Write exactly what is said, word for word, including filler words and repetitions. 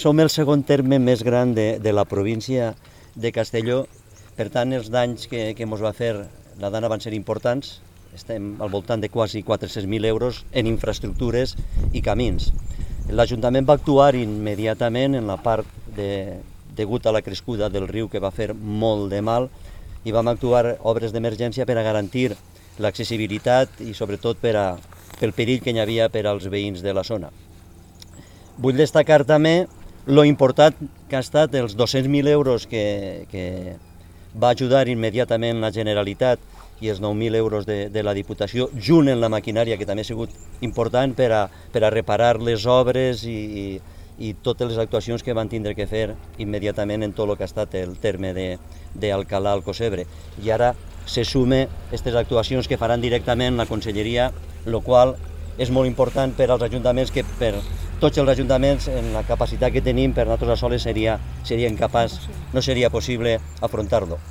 Som el segon terme més gran de, de la província de Castelló, per tant els danys que, que ens va fer la dana van ser importants, estem al voltant de quasi quatre-cents mil euros en infraestructures i camins. L'Ajuntament va actuar immediatament en la part de, degut a la crescuda del riu que va fer molt de mal i vam actuar obres d'emergència per a garantir l'accessibilitat i sobretot per a, pel perill que hi havia per als veïns de la zona. Vull destacar també lo important que ha estat els dos-cents mil euros que, que va ajudar immediatament la Generalitat i els nou mil euros de, de la Diputació, junt amb la maquinària, que també ha sigut important per a, per a reparar les obres i, i, i totes les actuacions que van tindre que fer immediatament en tot el que ha estat el terme d'Alcalà al Cosebre. I ara se sume aquestes actuacions que faran directament la Conselleria, el qual és molt important per als ajuntaments, que per tots els ajuntaments, en la capacitat que tenim, per nosaltres soles seria, seria incapaç, no seria possible afrontar-lo.